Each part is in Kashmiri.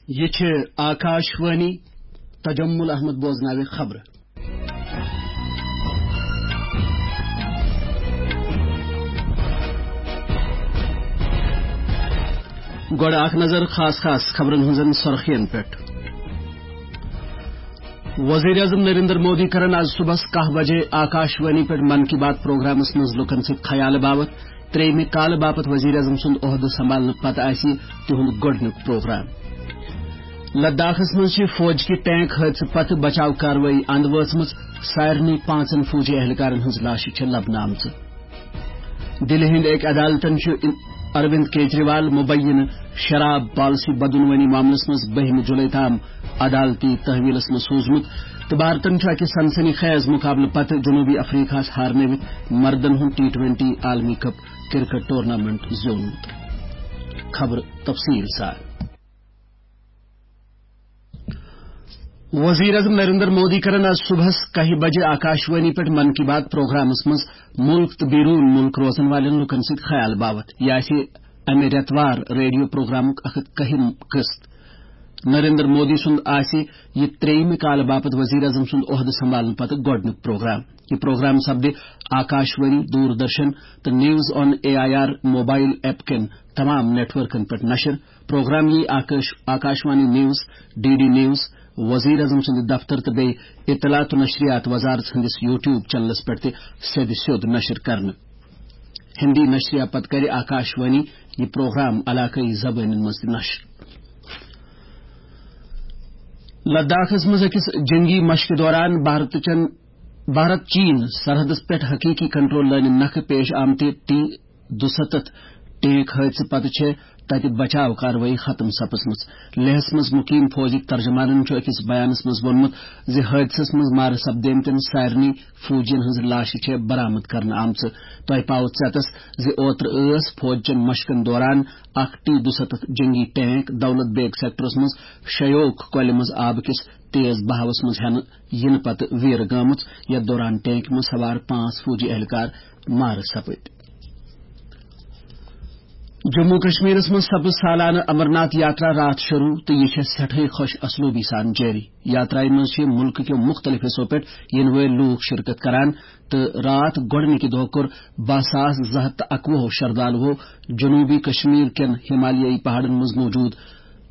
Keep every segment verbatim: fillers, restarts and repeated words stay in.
یہِ چھِ آکاش وانی۔ تجمل احمد بوزناوِ خبرٕ۔ گۄڈٕ اکھ نظر خاص خاص خبرن ہٕنٛزن سرخین پٮ۪ٹھ۔ وزیر اعظم نریندر مودی کرن آز صبحس کاہ بجے آکاش وانی پٮ۪ٹھ من کی بات پروگرامس منٛز لوٗکن سۭتۍ خیال باوت۔ ترٛیٚیمہِ کالہٕ باپتھ وزیر اعظم سُنٛد عہدٕ سنبھالنہٕ پتہٕ آسہِ یہِ تِہُنٛد گۄڈٕنیُک پروگرام۔ لداخس منٛز چھِ فوج کہِ ٹینک حٲدثہٕ پتہٕ بچاو کاروٲیی اند وٲژمٕژ۔ سارنٕے پانٛژن فوجی اہلکارن ہٕنٛز لاشہِ چھےٚ لبنہٕ آمژٕ۔ دِلہِ ہٕنٛدۍ أکۍ عدالتن چھُ اروند کیجریوال مبینہٕ شراب پالیسی بدعنوانی معاملس منٛز بٔہمہِ جولائی تام عدالتی تحویلس منٛز سوٗزمُت، تہٕ بھارتن چھُ اکہِ سنسنی خیز مقابلہٕ پتہٕ جنوبی افریقہس ہارنٲوِتھ مردن ہُنٛد ٹی ٹوینٹی عالمی کپ کرکٹ ٹورنامنٹ زیوٗنمُت۔ خبر تفصیل سان۔ وزیر اعظم نریندر مودی کرن آز صبحس کاہہِ بجہِ آکاش وانی پٮ۪ٹھ من کی بات پروگرامس منٛز مُلک تہٕ بیروٗن مُلک روزن والٮ۪ن لوٗکن سۭتۍ خیال باوت۔ یہِ آسہِ امہِ رٮ۪تہٕ وار ریڈیو پروگرامُک اکھ ہتھ کٔہِم قٕسط۔ نریندر مودی سُنٛد آسہِ یہِ ترٛیٚیمہِ کالہٕ باپتھ وزیر اعظم سُنٛد عہدٕ سنبھالنہٕ پتہٕ گۄڈٕنیُک پروگرام۔ یہِ پروگرام سپدِ آکاش وانی، دوردرشن تہٕ news on A I R mobile app کٮ۪ن تمام نیٹ ورکن پٮ۪ٹھ نشر۔ پروگرام یی Akash, Akashvani news, D D news, وزیر اعظم سٕنٛدِ دفتر تہٕ بیٚیہِ اطلاعات و نشریات وزارت ہٕنٛدِس یوٗٹیوب چینلس پٮ۪ٹھ تہِ سیٚدِ سیوٚد نشر کرنہٕ۔ ہندی نشریات پتہٕ کرِ آکاش وانی یہِ پروگرام علاقٲیی زبٲنٮ۪ن منٛز تہِ نشر۔ لداخس منٛز أکِس جنگی مشقہِ دوران بھارت چٮ۪ن، بھارت چین سرحدس پٮ۪ٹھ حقیقی کنٹرول لٲنہِ نکھٕ پیش آمتہِ ٹی دُستتھ ٹینک حٲدثہٕ پتہٕ چھےٚ تتہِ بچاو کاروٲیی ختم سپٕزمٕژ۔ لیہس منٛز مقیم فوجٕکۍ ترجمانن چھُ أکِس بیانس منٛز ووٚنمُت زِ حٲدثس منٛز مارٕ سپدیمتٮ۪ن سارنٕے فوجین ہٕنٛز لاشہِ چھےٚ برآمد کرنہٕ آمژٕ۔ تۄہہِ پاوٕ ژٮ۪تس زِ اوترٕ ٲس فوج چٮ۪ن مشقن دوران اکھ ٹی دُستتھ جنگی ٹینک دولت بیگ سیکٹرس منٛز شیوک کۄلہِ منٛز آبہٕ کِس تیز بہاوس منٛز ہٮ۪نہٕ یِنہٕ پتہٕ ویرٕ گٲمٕژ، یتھ دوران ٹینکہِ منٛز سوار پانٛژھ فوجی اہلکار مارٕ سپٕدۍ۔ جموں کشمیرس منٛز سپٕز سالانہٕ امرناتھ یاترا راتھ شروع تہٕ یہِ چھےٚ سٮ۪ٹھٕے خۄش اسلوبی سان جٲری۔ یاترایہِ منٛز چھِ مُلکہٕ کیو مُختٔلِف حصو پٮ۪ٹھ یِنہٕ وٲلۍ لوٗکھ شرکت کران تہٕ راتھ گۄڈٕنِکہِ دۄہ کوٚر باہ ساس زٕ ہتھ تہٕ اَکوُہ شردالوو جنوبی کشمیر کٮ۪ن ہمالیٲیی پہاڑن منٛز موجود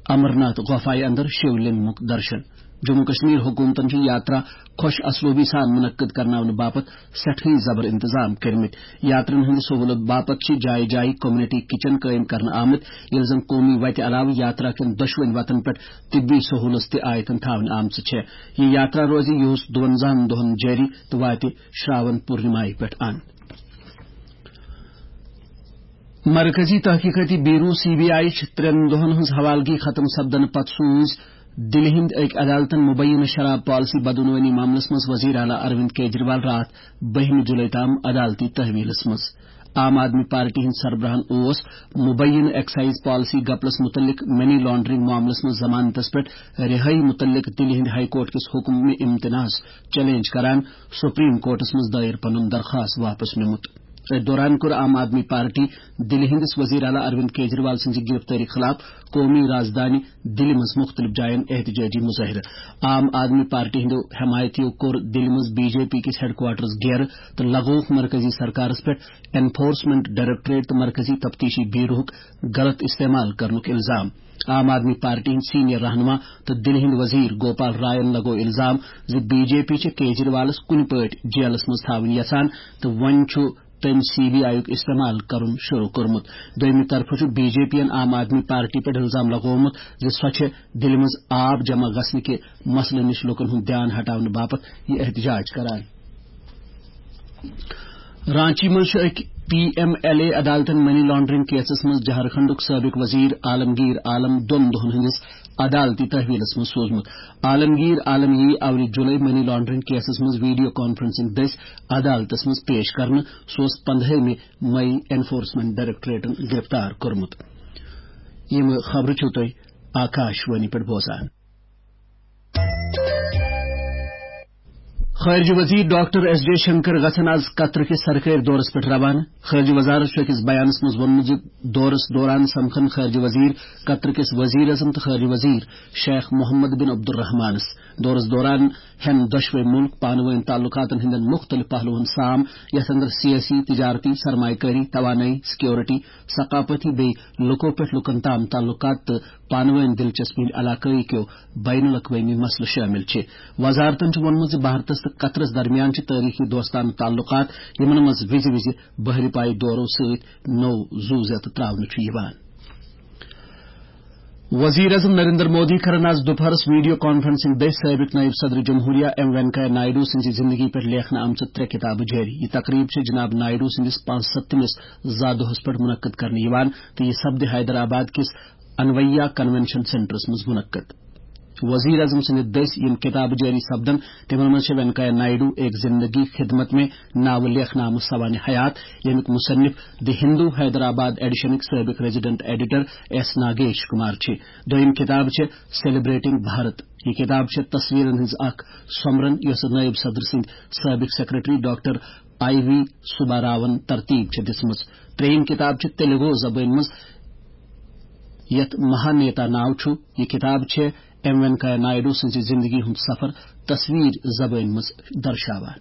امرناتھ غفایہِ اندر شیو لنگمُک درشن۔ جموں کشمیر حکومتن چھِ یاترا خۄش اسلوبی سان منعقد کرناونہٕ باپتھ سٮ۪ٹھٕے زبر انتظام کٔرمٕتۍ۔ یاترین ہٕنٛدِ سہولت باپتھ چھِ جایہِ جایہِ کمیونٹی کچن قٲیِم کرنہٕ آمٕتۍ، ییٚلہِ زن قومی وتہِ علاوٕ یاترا کٮ۪ن دۄشوٕنۍ وتن پٮ۪ٹھ طبی سہولت تہِ آیتن تھاونہٕ آمژٕ چھےٚ۔ یہِ یاترا روزِ یِہُس دُونزاہن دۄہن جٲری تہٕ واتہِ شراون پورنمایہِ پٮ۪ٹھ اند۔ مرکزی تحقیقاتی بیورو سی بی آئی چھِ ترٛٮ۪ن دۄہن ہٕنٛز حوالگی ختم سپدنہٕ پتہٕ سوٗز دِلہِ ہٕنٛدۍ أکۍ عدالتن مبینہ شراب پالیسی بدعنوانی معاملس منٛز وزیر اعلیٰ اروند کیجریوال راتھ بٔہمہِ جولائی تام عدالتی تحویلس منٛز۔ عام آدمی پارٹی ہٕنٛدۍ سربراہن اوس مبینہ ایکسائز پالیسی گپلس متعلق منی لانڈرنگ معاملس منٛز ضمانتس پٮ۪ٹھ رہٲیی متعلق دِلہِ ہٕنٛدِ ہائی کورٹ کِس حکمِ امتناعس چیلنج کران سپریم کورٹس منٛز دائر پنُن درخواست واپس نیومُت۔ أتھۍ دوران کوٚر عام آدمی پارٹی دِلہِ ہٕنٛدِس وزیر اعلیٰ اروند کیجریوال سٕنٛزِ گرفتٲری خلاف قومی رازدانی دِلہِ منٛز مُختٔلِف جاین احتجاجی مظٲہرٕ۔ عام آدمی پارٹی ہٕنٛدیو حمایتیو کوٚر دِلہِ منٛز بی جے پی کِس ہیڈ کوارٹرس گیرٕ تہٕ لگووُکھ مرکزی سرکارس پٮ۪ٹھ انفورسمنٹ ڈائریکٹوریٹ تہٕ مرکزی تفتیشی بیوروہُک غلط استعمال کرنُک الزام۔ عام آدمی پارٹی ہٕنٛدۍ سینئر رہنما تہٕ دِلہِ ہٕنٛدۍ وزیر گوپال رائن لگوو الزام زِ بی جے پی چھِ کیجریوالس کُنہِ پٲٹھۍ جیلس منٛز تھاوٕنۍ یژھان تہٕ وۄنۍ چھُ تٔمۍ سی بی آئی یُک استعمال کرُن شروع کوٚرمُت۔ دوٚیمہِ طرفہٕ چھُ بی جے پی یَن عام آدمی پارٹی پٮ۪ٹھ الزام لگوومُت زِ سۄ چھےٚ دِلہِ منٛز آب جمع گژھنہٕ کہِ مسلہٕ نِش لوٗکن ہُنٛد دھیان ہٹاونہٕ باپتھ یہِ احتجاج کران۔ رانچی منٛز چھُ أکۍ پی ایم ایل اے عدالتن منی لانڈرنگ کیسس منٛز جھارکھنڈُک سٲبق وزیر عالمگیر عالم دۄن دۄہن ہٕنٛدِس عدالتی تحویلس منٛز سوٗزمُت۔ عالمگیر عالم یی اَوٕرِ جُلے منی لانڈرنگ کیسس منٛز ویڈیو کانفرنسنگ دٔسۍ عدالتس منٛز پیش کرنہٕ۔ سُہ اوس پندہٲیمہِ مئی انفورسمنٹ ڈائریکٹوریٹن گرفتار کوٚرمُت۔ یِم خبرٕ چھِو تُہۍ آکاش وانی پٮ۪ٹھ بوزان۔ خارجہ وزیر ڈاکٹر ایس جے شنکر گژھن از قطر کِس سرکٲرۍ دورس پٮ۪ٹھ روانہٕ۔ خارجہ وزارت چھُ أکِس بیانس منٛز ووٚنمُت زِ دورس دوران سمکھن خارجہ وزیر قطر کِس وزیر اعظم تہٕ خارجہ وزیر شیخ محمد بن عبدالرحمانس۔ دورس دوران ہٮ۪ن دۄشوے مُلک پانہٕ وٲنۍ تعلقاتن ہٕنٛدٮ۪ن مُختٔلِف پہلوَن سام، یتھ اندر سیٲسی، تجارتی، سرمایہ کٲری، توانٲیی، سیکورٹی، ثقافتی بیٚیہِ لُکو پٮ۪ٹھ لُکن تام تعلقات تہٕ پانہٕ وٲنۍ دلچسپی ہٕنٛدۍ علاقٲیی کیو بین الاقوٲمی مسلہٕ شٲمِل چھِ۔ وزارتن چھُ ووٚنمُت زِ بھارتس تہٕ قطرس درمیان چھِ تٲریخی دوستانہٕ تعلقات، یِمن منٛز وِزِ وِزِ بحری پایہِ دورو سۭتۍ نوٚو زُو زیتہٕ تراونہٕ چھُ یِوان۔ وزیر اعظم نریندر مودی کرن آز دُپہرس ویڈیو کانفرنسنگ دٔسۍ سٲبق نائب صدر جمہوریہ ایم وینکیا نائیڈو سٕنزِ زندگی پٮ۪ٹھ لیکھنہٕ آمژٕ ترٛےٚ کِتابہٕ جٲری۔ یہِ تقریب چھےٚ جناب نائیڈو سٕنٛدِس پانٛژستمِس زا دۄہس پٮ۪ٹھ منعقد کرنہٕ یِوان تہٕ یہِ سپدِ حیدرآباد کِس انویا کنونشن سینٹرس منٛز منعقد۔ وزیر اعظم سٕنٛدِ دٔسۍ یِم کِتابہٕ جٲری سپدن، تِمن منٛز چھےٚ وینکیا نائیڈو ایک زندگی خدمت میں ناوٕ لیکھنہٕ آمٕژ سوانح حیات، ییٚمیُک مصنف دی ہندو حیدرآباد ایڈیشنٕکۍ سٲبق resident editor S Nagesh Kumar چھِ۔ دوٚیِم کِتاب چھےٚ سیلیبریٹنگ بھارت۔ یہِ کِتاب چھےٚ تصویرن ہٕنٛز اکھ سۄمبرن، یۄسہٕ نٲیِب صدر سٕنٛدۍ سٲبق سیکرٹری ڈاکٹر آئی وی سباراون ترتیب چھےٚ دِژمٕژ۔ ترٛیٚیِم کِتاب چھِ تیلگو زبٲنۍ منٛز، یتھ مہانیتا ناو چھُ۔ یہِ کِتاب چھےٚ ایم وینکیا نائیڈو سٕنٛزِ زندگی ہُنٛد سفر تصویر زبٲنۍ منٛز درشاوان۔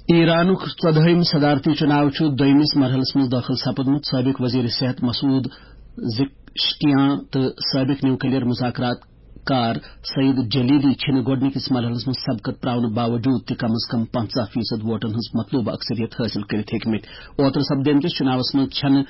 ایرانُک ژۄدہٲیِم صدارتی چُناو چھُ دوٚیمِس مرحلس منٛز دٲخل سپُدمُت۔ سٲبق وزیر صحت مسعود زکشکیان تہٕ سٲبق نیوکلیئر مذاکرات کار سعید جلیلی چھِنہٕ گۄڈٕنِکِس مرحلس منٛز سبقت پراونہٕ باوجود تہِ کم از کم پنژاہ فیصد ووٹن ہٕنٛز مطلوبہٕ اکثریت حٲصِل کٔرِتھ ہیٚکمٕتۍ۔ اوترٕ سپدیمتِس چُناوس منٛز چھَنہٕ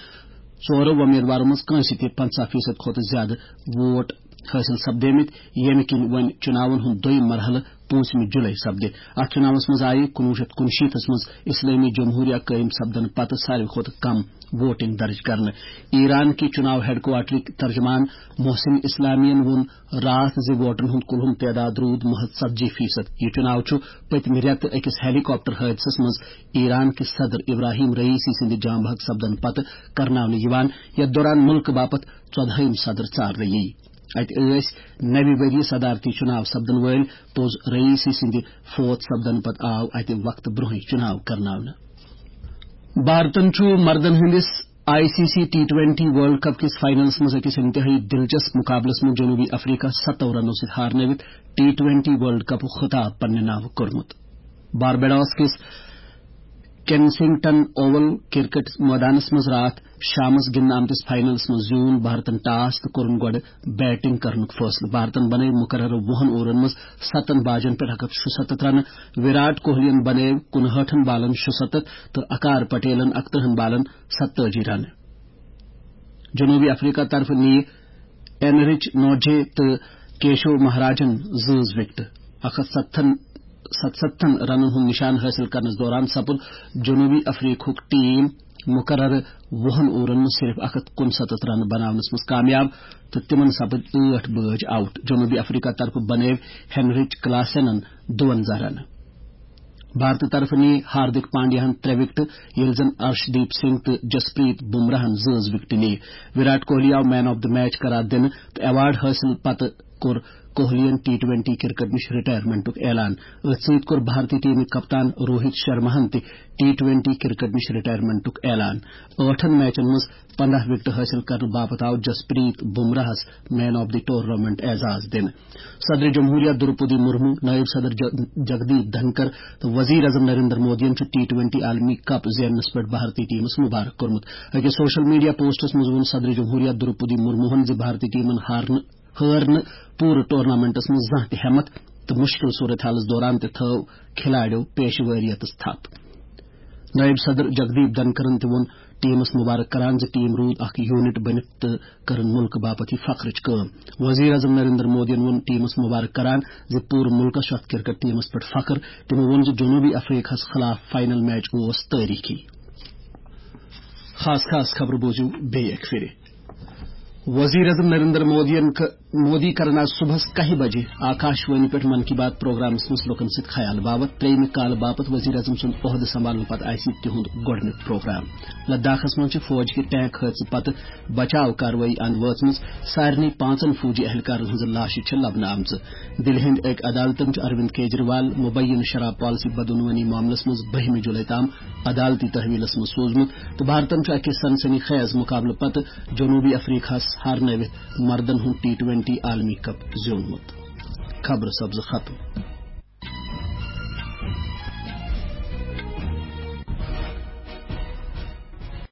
ژورو وۄمیدوارو منٛز کٲنٛسہِ تہِ پنژاہ فیصد کھۄتہٕ زیادٕ ووٹ حٲصِل سپدیمٕتۍ، ییٚمہِ کِنۍ وۄنۍ چُناون ہُنٛد دوٚیِم مرحلہٕ پوٗنٛژمہِ جُلے سپدِ۔ اَتھ چُناوس منٛز آیہِ کُنوُہ شیٚتھ کُنشیٖتھس منٛز اسلٲمی جمہوریہ قٲیِم سپدنہٕ پتہٕ ساروی کھۄتہٕ کم ووٹنگ درج کرنہٕ۔ ایران کہِ چُناو ہیڈکوارٹرٕکۍ ترجمان محسن اسلامی ین ووٚن راتھ زِ ووٹن ہُنٛد کُلہُم تعداد روٗد محض ژتجی فیصد۔ یہِ چُناو چھُ پٔتمہِ رٮ۪تہٕ أکِس ہیلی کاپٹر حٲدثس منٛز ایران کِس صدر ابراہیم رئیسی سٕنٛدِ جام بحق سپدن پتہٕ کرناونہٕ یِوان، یتھ دوران مُلکہٕ باپتھ ژۄدہٲیِم صدر ژارنہٕ یِیہِ۔ اتہِ ٲسۍ نوِ ؤرۍ یہِ صدارتی چُناو سپدن وٲلۍ پوٚز رئیسی سٕنٛدِ فوت سپدن پتہٕ آو اتہِ وقتہٕ برونٛہٕے چُناو کرناونہٕ۔ بھارتن چھُ مردن ہٕنٛدِس I C C T twenty world cup کِس فائنلس منٛز أکِس انتہٲئی دلچسپ مقابلس منٛز جنوبی افریقہ ستو رنو سۭتۍ ہارنٲوِتھ ٹی ٹوینٹی ورلڈ کپُک خطاب پننہِ ناوٕ کوٚرمُت۔ باربیڈوس کِس کینسنگٹن اوول کرکٹ مٲدانس منٛز راتھ شامس گِنٛدنہٕ آمتِس فائنلس منٛز زیوٗن بھارتن ٹاس تہٕ کوٚرُن گۄڈٕ بیٹنگ کرنُک فٲصلہٕ۔ بھارتن بنٲوۍ مقررٕ وُہن اوورن منٛز ستن باجن پٮ۪ٹھ اکھ ہتھ شُستتھ رنہٕ۔ وراٹ کوہلی ین بنٲوۍ کُنہٲٹھن بالن شُستتھ تہٕ اکار پٹیلن اکترٕہن بالن ستٲجی رنہٕ۔ جنوبی افریقہ طرفہٕ نِیہِ اینرچ نوجے تہٕ کیشو مہاراجن زٲژ وکٹہٕ۔ اکھ ہتھ ستتھن، ستستھن رنن ہُنٛد نشان حٲصِل کرنس دوران سپُد جنوبی افریقہُک ٹیم مقررٕ وُہن اوورن منٛز صرف اکھ ہتھ کُنستتھ رنہٕ بناونس منٛز کامیاب تہٕ تِمن سپٕدۍ ٲٹھ بٲج آؤٹ۔ جنوبی افریقہ طرفہٕ بنٲوۍ ہینرچ کلاسنن دُونزاہ رنہٕ۔ بھارتہٕ طرفہٕ نِیہِ ہاردِک پانڈیاہن ترٛےٚ وکٹہٕ، ییٚلہِ زن ارشدیپ سنگھ تہٕ جسپریت بمراہن زٲژ وکٹہٕ نِیہِ۔ وراٹ کوہلی آو مین آف دی میچ قرار دِنہٕ تہٕ ایوارڈ حٲصِل پتہٕ کوٚر کوہلی ین ٹی ٹوینٹی کرکٹ نِش رٹائرمنٹُک اعلان۔ أتھۍ سۭتۍ کوٚر بھارتی ٹیمٕکۍ کپتان روہت شرماہن تہِ ٹی ٹوینٹی کرکٹ نِش رٹائرمنٹُک اعلان۔ ٲٹھن میچن منٛز پنداہ وکٹہٕ حٲصِل کرنہٕ باپتھ آو جسپریت بمراہس مین آف دی ٹورنامنٹ اعزاز دِنہٕ۔ صدر جمہوریہ دروپدی مرمو، نائب صدر ج-، جگدیپ دھنکر تہٕ وزیر اعظم نریندر مودیَن چھُ ٹی ٹوینٹی عالمی کپ زیننس پٮ۪ٹھ بھارتی ٹیمس مبارک کوٚرمُت۔ أکِس سوشل میڈیا پوسٹس منٛز ووٚن صدر جمہوریہ دروپدی مرموہن زِ بھارتی ٹیمن ہارنہٕ، ہٲر نہٕ پوٗرٕ ٹورنامنٹس منٛز زانٛہہ تہِ ہٮ۪متھ تہٕ مُشکِل صورتحالس دوران تہِ تھٲو کھلاڑیو پیشہٕ وٲریتس تھپھ۔ نائب صدر جگدیپ دھنکرن تہِ ووٚن ٹیمس مبارک کران زِ ٹیم روٗد اکھ یونٹ بٔنِتھ تہٕ کٔرٕن مُلکہٕ باپتھ یہِ فخرٕچ کٲم۔ وزیر اعظم نریندر مودیَن ووٚن ٹیمس مبارک کران زِ پوٗرٕ مُلکس چھُ اتھ کرکٹ ٹیمس پٮ۪ٹھ فخر۔ تِمو ووٚن زِ جنوبی افریقہس خلاف فائنل میچ اوس تٲریخی۔ خاص خاص خبرٕ بوٗزِو بیٚیہِ اکہِ پھِرِ۔ وزیر اعظم نریندر مودیَن ک-، مودی کرن آز صبحس کاہہِ بجہِ آکاش وانی پٮ۪ٹھ من کی بات پروگرامس منٛز لوکن سۭتۍ خیال باوت۔ ترٛیٚیمہِ کالہٕ باپتھ وزیر اعظم سُنٛد عہدٕ سنبھالنہٕ پتہٕ آسہِ یہِ تِہُنٛد گۄڈٕنیُک پروگرام۔ لداخس منٛز چھِ فوج کہِ ٹینک حٲدثہٕ پتہٕ بچاو کاروٲیی اندٕ وٲژمٕژ۔ سارنٕے پانٛژن فوجی اہلکارن ہٕنٛز لاشہِ چھِ لبنہٕ آمژٕ۔ دِلہِ ہٕنٛدۍ أکۍ عدالتن چھُ اروند کیجریوال مبینہٕ شراب پالیسی بدعنوانی معاملس منٛز بٔہمہِ جولائی تام عدالتی تحویلس منٛز سوزمُت تہٕ بھارتن چھُ اکہِ سنسنی خیز مقابلہٕ پتہٕ جنوبی افریقہس ہارنٲوِتھ مردن ہُنٛد ٹی ٹوینٹی عالمی کپ زیوٗنمُت۔ خبرٕ سپزٕ ختم۔